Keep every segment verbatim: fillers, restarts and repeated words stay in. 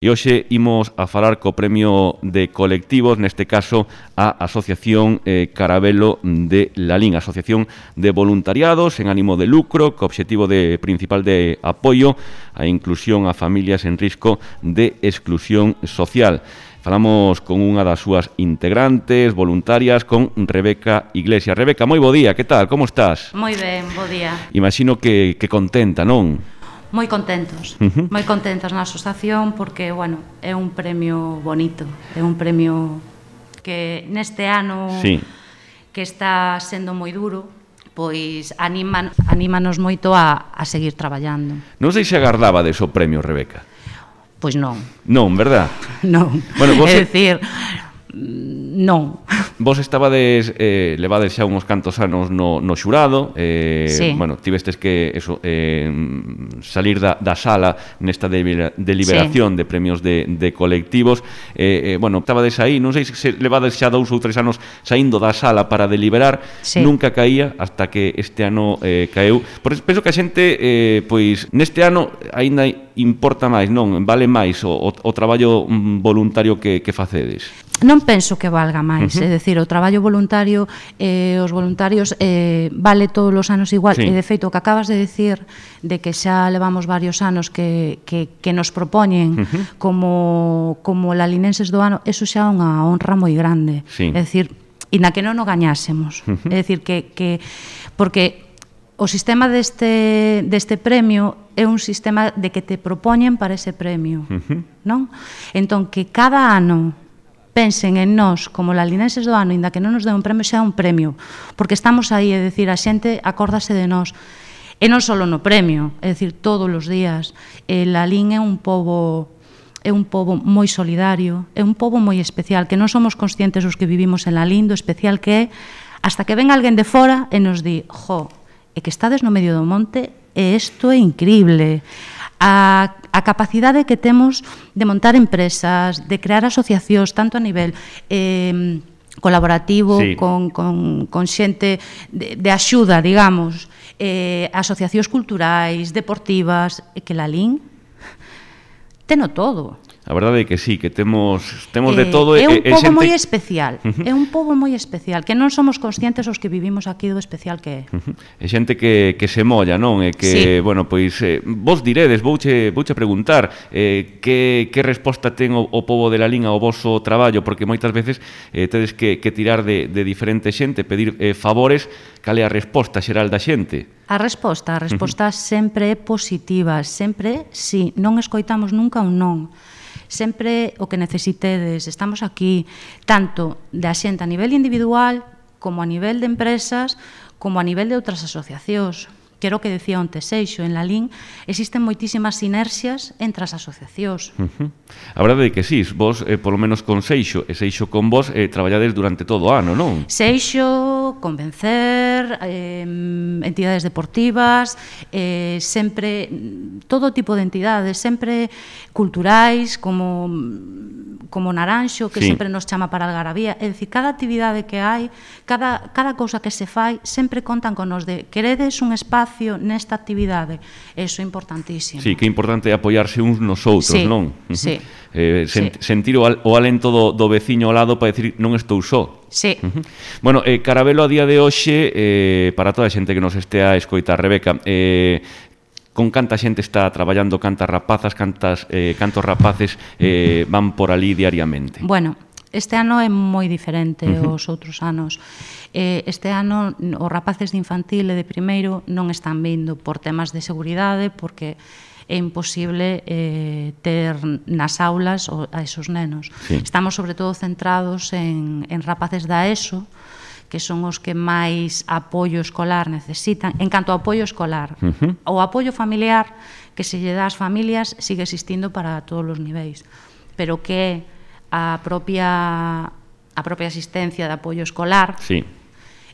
E hoxe imos a falar co premio de colectivos, neste caso a Asociación eh, Carabelo de Lalín, Asociación de Voluntariados en ánimo de lucro, co obxectivo de, principal de apoio a inclusión a familias en risco de exclusión social. Falamos con unha das súas integrantes, voluntarias, con Rebeca Iglesias. Rebeca, moi bo día, que tal, como estás? Moi ben, bo día. Imagino que, que contenta, non? Moi contentos, uh-huh. moi contentos na asociación porque, bueno, é un premio bonito, é un premio que neste ano sí. que está sendo moi duro, pois animan, anímanos moito a, a seguir traballando. Non sei se agardabades o premio, Rebeca. Pois non. Non, verdad? Non, bueno, vos é dicir, non. Vos estabades, eh, levades xa uns cantos anos no, no xurado, eh, sí. bueno, tivestes que eso, eh, salir da, da sala nesta de, deliberación sí. de premios de, de colectivos, eh, eh, bueno, estabades aí, non sei se levades xa dous ou tres anos saindo da sala para deliberar, sí. nunca caía hasta que este ano eh, caeu. Por eso penso que a xente, eh, pois, neste ano aínda importa máis, non? Vale máis o, o, o traballo voluntario que, que facedes? Non penso que valga máis, uh-huh. é dicir, o traballo voluntario, eh, os voluntarios eh, vale todos os anos igual, sí. e de feito o que acabas de decir de que xa levamos varios anos que, que, que nos propoñen uh-huh. como, como lalinenses do ano, eso xa é unha honra moi grande, sí. é dicir, e na que non o gañásemos, uh-huh. é dicir, que, que porque o sistema deste, deste premio é un sistema de que te propoñen para ese premio, uh-huh. non? Entón, que cada ano pensen en nós como lalinenses do ano, inda que non nos den un premio, xa é un premio, porque estamos aí, é dicir, a xente acórdase de nós, e non só no premio, é dicir, todos os días. E Lalín é un pobo é un pobo moi solidario, é un pobo moi especial, que non somos conscientes os que vivimos en Lalín do especial que é, hasta que ven alguén de fora e nos di, jo, é que estades no medio do monte e isto é increíble. A, a capacidade que temos de montar empresas, de crear asociacións, tanto a nivel eh, colaborativo, sí. con, con, con xente de, de axuda, digamos, eh, asociacións culturais, deportivas, e que Lalín teno todo. A verdade é que sí, que temos temos de todo. É un pobo moi especial, é un pobo moi especial, que non somos conscientes os que vivimos aquí do especial que é. É xente que, que se molla, non? E que, sí. bueno, pois, eh, vos diredes, vouche, vouche preguntar eh, que, que resposta ten o, o pobo de Lalín ao voso traballo, porque moitas veces eh, tedes que, que tirar de, de diferente xente, pedir eh, favores, cal é a resposta xeral da xente? A resposta, a resposta uh-huh. sempre é positiva, sempre, si, non escoitamos nunca un non. Sempre o que necesitedes, estamos aquí, tanto da xente a nivel individual, como a nivel de empresas, como a nivel de outras asociacións. Quero que decía onte Seixo, en Lalín existen moitísimas sinerxias entre as asociacións. Uh-huh. A verdade é que sí, vos, eh, polo menos con Seixo, e Seixo con vos, eh, traballades durante todo o ano, non? Seixo, Convencer, eh, entidades deportivas, eh, sempre, todo tipo de entidades, sempre culturais, como, como Naranxo, que sí. sempre nos chama para Algarabía. É dicir, cada actividade que hai, cada, cada cousa que se fai, sempre contan con nos de queredes un espazo nesta actividade, eso é importantísimo. Sí, que é importante apoiarse uns nos outros, sí, non? Sí, eh, sen, sí. Sentir o, al, o alento do, do veciño ao lado para decir non estou só. Sí. Uh-huh. Bueno, eh, Carabelo a día de hoxe, eh, para toda a xente que nos estea a escoitar, Rebeca, eh, con canta xente está traballando, cantas rapazas, cantas, eh, cantos rapaces eh, van por ali diariamente? Bueno, este ano é moi diferente uh-huh. aos outros anos. Eh, este ano os rapaces de infantil e de primeiro non están vindo por temas de seguridade, porque é imposible eh, ter nas aulas a esos nenos. Sí. Estamos sobre todo centrados en, en rapaces da ESO, que son os que máis apoio escolar necesitan. En canto ao apoio escolar, uh-huh. o apoio familiar que se lle dá ás familias sigue existindo para todos os niveis, pero que a propia a propia asistencia de apoio escolar sí.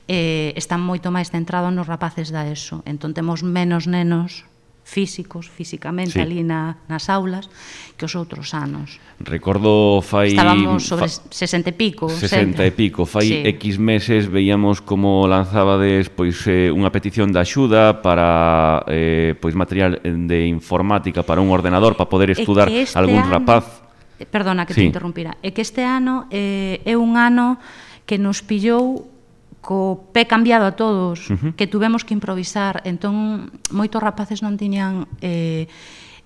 eh, está moito máis centrado nos rapaces da ESO. Entón temos menos nenos físicos, físicamente, sí. ali na, nas aulas, que os outros anos. Recordo fai... Estábamos sobre fa, sesenta e pico. sesenta e pico. Fai sí. X meses veíamos como lanzábades pois, eh, unha petición de axuda para eh, pois, material de informática para un ordenador para poder estudar algún rapaz. Perdona que te sí. interrumpira. É que este ano eh, é un ano que nos pillou co pé cambiado a todos, uh-huh. que tuvemos que improvisar. Entón, moitos rapaces non tiñan eh,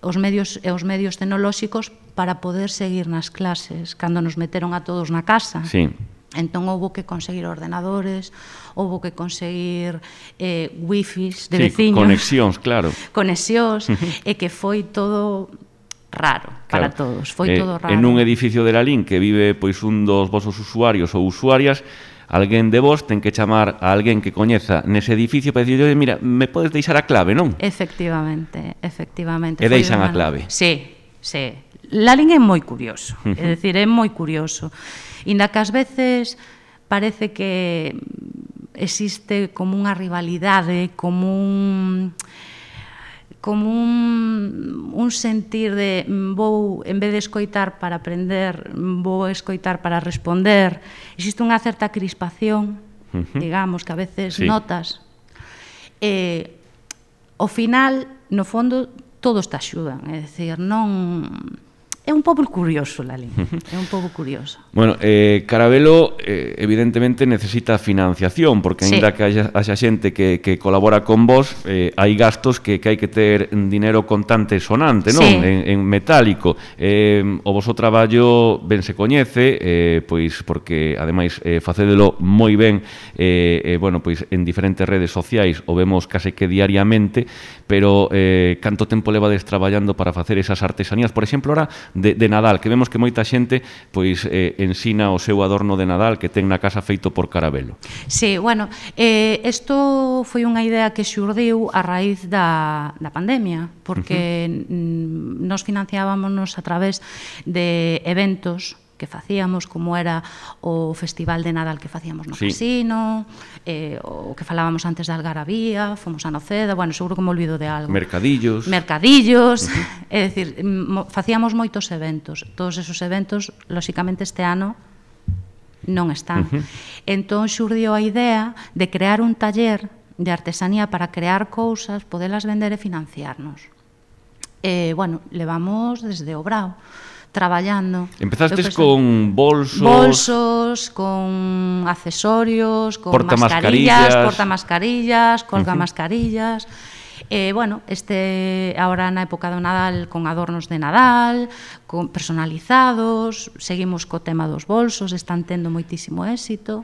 os medios e os medios tecnolóxicos para poder seguir nas clases. Cando nos meteron a todos na casa, sí. entón houve que conseguir ordenadores, houve que conseguir eh, wifis de sí, veciños. Conexións, claro. Conexións, e que foi todo raro para claro. todos, foi eh, todo raro. En un edificio de Lalín que vive pois un dos vosos usuarios ou usuarias, alguén de vos ten que chamar a alguén que coñeza nese edificio para dicir, mira, me podes deixar a clave, non? Efectivamente, efectivamente. E deixan a una... clave. Sí, sí. Lalín é moi curioso, uh-huh. é dicir, é moi curioso. Inda que ás veces parece que existe como unha rivalidade, como un como un, un sentir de vou, en vez de escoitar para aprender, vou escoitar para responder. Existe unha certa crispación, uh-huh. digamos, que a veces sí. notas. E, ao final, no fondo, todos te axudan. É dicir, non... É un pouco curioso, Lalín, é un pouco curioso. Bueno, eh, Carabelo eh, evidentemente necesita financiación, porque sí. ainda que haya, haya xente que, que colabora con vos, eh, hai gastos que, que hai que ter dinero contante sonante, non? Sí. En, en metálico. Eh, o voso traballo ben se coñece, eh, pois porque ademais eh, facédelo moi ben, eh, eh, bueno, pois en diferentes redes sociais o vemos case que diariamente, pero eh, canto tempo levades traballando para facer esas artesanías? Por exemplo, ahora De, de Nadal, que vemos que moita xente pois eh, ensina o seu adorno de Nadal que ten na casa feito por Carabelo. Sí, bueno, eh, isto foi unha idea que xurdiu a raíz da, da pandemia, porque uh-huh. nos financiábamos a través de eventos que facíamos, como era o Festival de Nadal que facíamos no sí. casino, eh, o que falábamos antes de Algarabía, fomos a Noceda, bueno, seguro que me olvido de algo. Mercadillos. Mercadillos, uh-huh. é dicir, facíamos moitos eventos. Todos esos eventos, lóxicamente, este ano non están. Uh-huh. Entón, xurdiu a idea de crear un taller de artesanía para crear cousas, podelas vender e financiarnos. Eh, bueno, levamos desde o Brao, traballando. Empezastes con bolsos... Bolsos, con accesorios, con mascarillas, portamascarillas, colgamascarillas. Eh, bueno, este ahora na época do Nadal con adornos de Nadal, con personalizados, seguimos co tema dos bolsos, están tendo moitísimo éxito.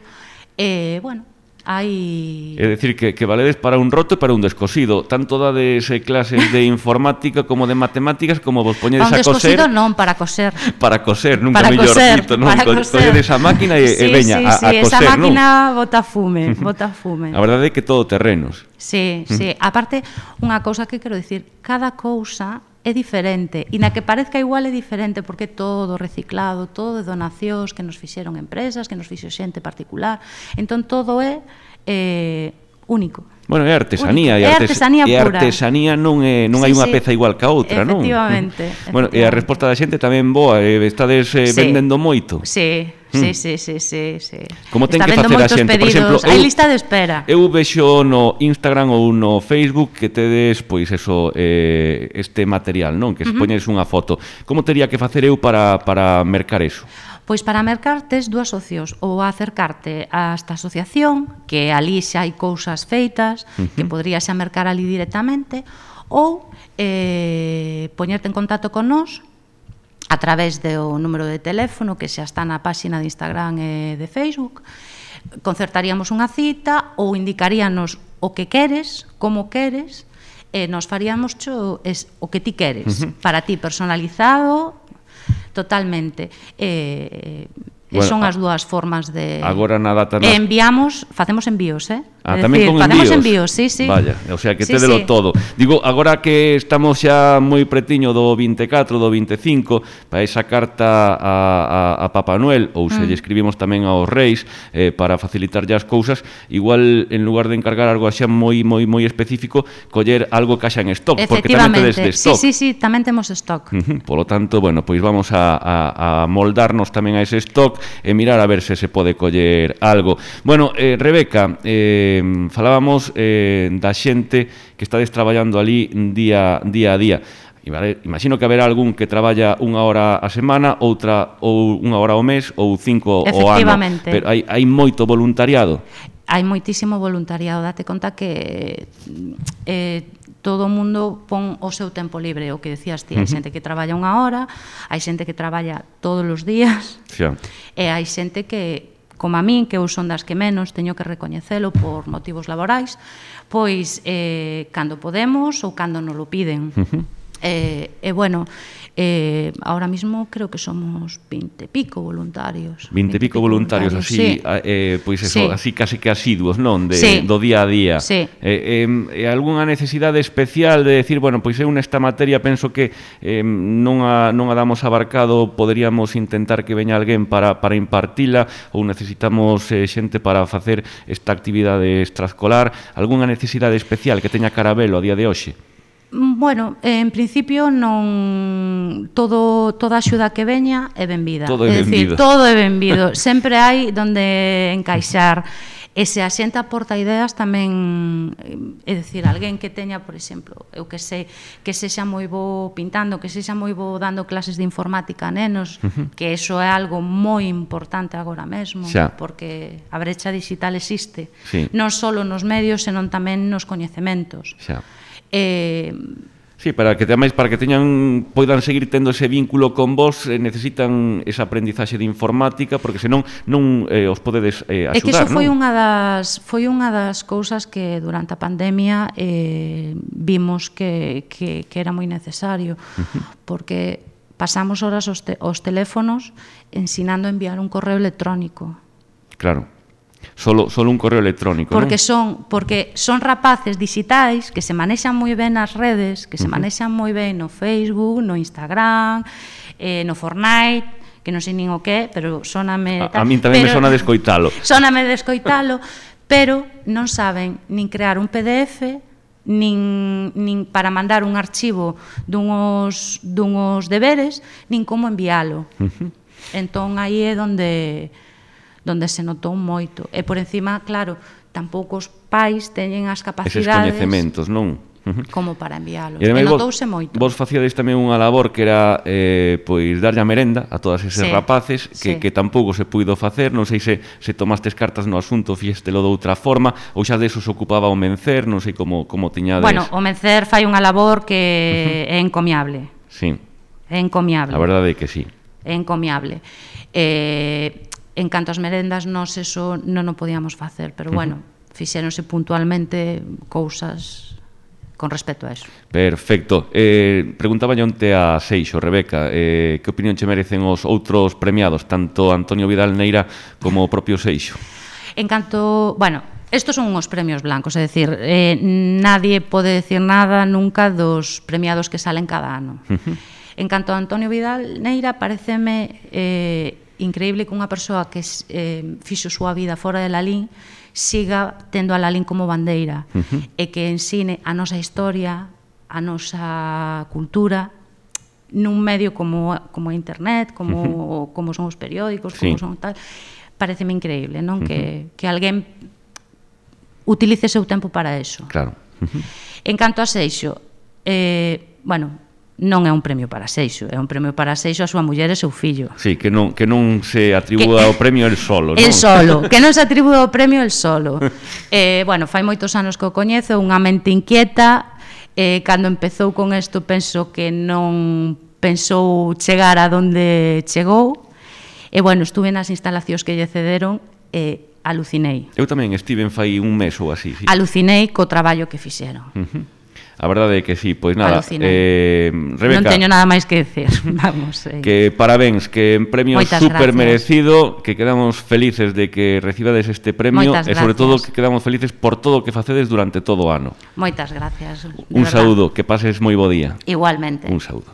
Eh, bueno, hai... É dicir, que, que valedes para un roto e para un descosido. Tanto dades clases de informática como de matemáticas, como vos poñedes a coser... Para un descosido non, para coser. Para coser, nunca para mellor coser, dito, non? Para coser. Colledes a máquina e, sí, e veña sí, a, sí, a coser, esa máquina non? bota fume, bota fume. A verdade é que todo terrenos. Sí, sí. Aparte, unha cousa que quero dicir, cada cousa é diferente, e na que parezca igual é diferente, porque é todo reciclado, todo de donacións que nos fixeron empresas, que nos fixo xente particular, entón todo é eh, único. Bueno, é artesanía, é artesanía e pura. E artesanía non é non sí, hai unha sí. peza igual que a outra, non? Efectivamente. Bueno, e a resposta da xente tamén boa, eh, estades eh, sí. vendendo moito. Sí. Sí, sí, sí, sí, sí. Como ten Está que facer a xente, pedidos. por exemplo, hai lista de espera. Eu vexo no Instagram ou no Facebook que tedes, pois eso, eh, este material, non? Que se uh-huh. poñes unha foto. Como teria que facer eu para para mercar eso? Pois para mercar tes dúas opcións, ou acercarte a esta asociación, que ali xa hai cousas feitas, uh-huh. que podrías xa mercar ali directamente, ou eh, poñerte en contacto con nós a través do número de teléfono que xa está na páxina de Instagram e de Facebook. Concertaríamos unha cita ou indicaríanos o que queres, como queres, e nos faríamos cho es, o que ti queres, uh-huh. para ti personalizado totalmente. Eh, bueno, son as dúas formas de... Agora na data... Na... Enviamos, facemos envíos, eh? Ah, tamén decir, con facemos envíos? envíos, sí, sí. Vaya, o sea, que sí, tédelo sí. todo. Digo, agora que estamos xa moi pretiño do vinte e catro, do vinte e cinco, para esa carta a, a, a Papá Noel, ou se mm. lle escribimos tamén aos Reis, eh, para facilitar as cousas, igual, en lugar de encargar algo xa moi moi moi específico, coller algo que xa en stock, porque tamén tedes de stock. Sí, sí, sí, tamén temos stock. Uh-huh. Por lo tanto, bueno, pois vamos a, a, a moldarnos tamén a ese stock e mirar a ver se se pode coller algo. Bueno, eh, Rebeca, eh, falábamos eh, da xente que estades traballando ali día, día a día. E vale, imagino que haberá algún que traballa unha hora a semana, outra ou unha hora ao mes ou cinco ao ano. Efectivamente. Pero hai, hai moito voluntariado. Hai moitísimo voluntariado. Date conta que eh, todo o mundo pon o seu tempo libre, o que decías ti. Hai xente que traballa unha hora, hai xente que traballa todos os días, Xa. e hai xente que, como a min, que eu son das que menos, teño que recoñecelo por motivos laborais, pois eh, cando podemos ou cando nos lo piden. Uh-huh. E, eh, eh, bueno, eh, ahora mismo creo que somos vinte e pico voluntarios. Vinte e pico voluntarios, así, sí. eh, pois eso, Sí. así casi que asiduos, non? De, Sí. do día a día. Sí. Eh, eh, algunha necesidade especial de decir, bueno, pois eu nesta materia penso que eh, non, a, non a damos abarcado, poderíamos intentar que veña alguén para, para impartila, ou necesitamos eh, xente para facer esta actividade extraescolar. Algunha necesidade especial que teña Carabelo a día de hoxe? Bueno, en principio non todo toda a axuda que veña é benvida. Todo é é dicir, benvido. todo é benvido. Sempre hai donde encaixar. E se a xente aporta ideas tamén, é dicir, alguén que teña, por exemplo, eu que sei, que sexa moi bo pintando, que sexa moi bo dando clases de informática a nenos, uh-huh. que eso é algo moi importante agora mesmo, Xa. porque a brecha digital existe, Sí. non só nos medios, senón tamén nos coñecementos. Xa. Eh, Sí, para que tamén para que teñan poidan seguir tendo ese vínculo con vos, eh, necesitan esa aprendizaxe de informática, porque senón non eh, os podedes eh, axudar, é que iso foi non? unha das foi unha das cousas que durante a pandemia eh, vimos que, que, que era moi necesario, uh-huh. porque pasamos horas os, te, os teléfonos ensinando a enviar un correo electrónico. Claro. Solo, solo un correo electrónico, porque non? son porque son rapaces digitais que se manexan moi ben nas redes, que se Uh-huh. manexan moi ben no Facebook, no Instagram, eh, no Fortnite, que non sei nin o que, pero soname... A, a min tamén me sona de escoitalo. Soname de escoitalo, pero non saben nin crear un P D F, nin, nin para mandar un archivo dunhos, dunhos deberes, nin como envialo. Uh-huh. Entón, aí é donde... donde se notou moito. E por encima, claro, tampouco os pais teñen as capacidades... Eses coñecementos, non? Uh-huh. Como para enviálos. E, E vos, notouse moito. Vos facíades tamén unha labor que era eh, pois darlle a merenda a todas eses sí, rapaces que, sí. que tampouco se puido facer. Non sei se, se tomastes cartas no asunto, fíxtelo de outra forma, ou xa deso se ocupaba o Mencer, non sei como, como tiñades... Bueno, o Mencer fai unha labor que uh-huh. é encomiable. Sí. É encomiable. A verdade é que sí. É encomiable. Eh... En canto ás merendas, nós eso non o podíamos facer, pero bueno, fixéronse puntualmente cousas con respecto a eso. Perfecto. Eh, preguntaba onte a Seixo, Rebeca, eh, que opinión che merecen os outros premiados, tanto Antonio Vidal Neira como o propio Seixo? En canto, bueno, estos son uns premios blancos, é dicir, eh, nadie pode decir nada nunca dos premiados que salen cada ano. Uh-huh. En canto a Antonio Vidal Neira, pareceme... Eh, increíble que unha persoa que eh, fixo súa vida fora de Lalín siga tendo a Lalín como bandeira, uh-huh. e que ensine a nosa historia, a nosa cultura nun medio como, como a internet, como, uh-huh. como son os periódicos, sí. como son tal. Pareceme increíble, non? Uh-huh. Que, que alguén utilice seu tempo para eso. Claro. Uh-huh. En canto a Seixo, eh, bueno, non é un premio para Seixo, é un premio para Seixo a súa muller e seu fillo. Sí, que non, que non se atribúa o premio el solo, non? El solo, que non se atribúa o premio el solo. eh, bueno, fai moitos anos que o coñezo, unha mente inquieta, eh, cando empezou con isto penso que non pensou chegar a donde chegou, e bueno, estuve nas instalacións que lle cederon e eh, alucinei. Eu tamén estive fai un mes ou así, sí. Alucinei co traballo que fixeron. Uh-huh. A verdade é que sí, pois nada, eh, Rebeca, non teño nada máis que decir. Vamos, eh. que parabéns, que en premio super merecido, que quedamos felices de que recibades este premio e sobre todo que quedamos felices por todo o que facedes durante todo o ano. Moitas gracias. Un saúdo, que pases moi bo día. Igualmente. Un saúdo.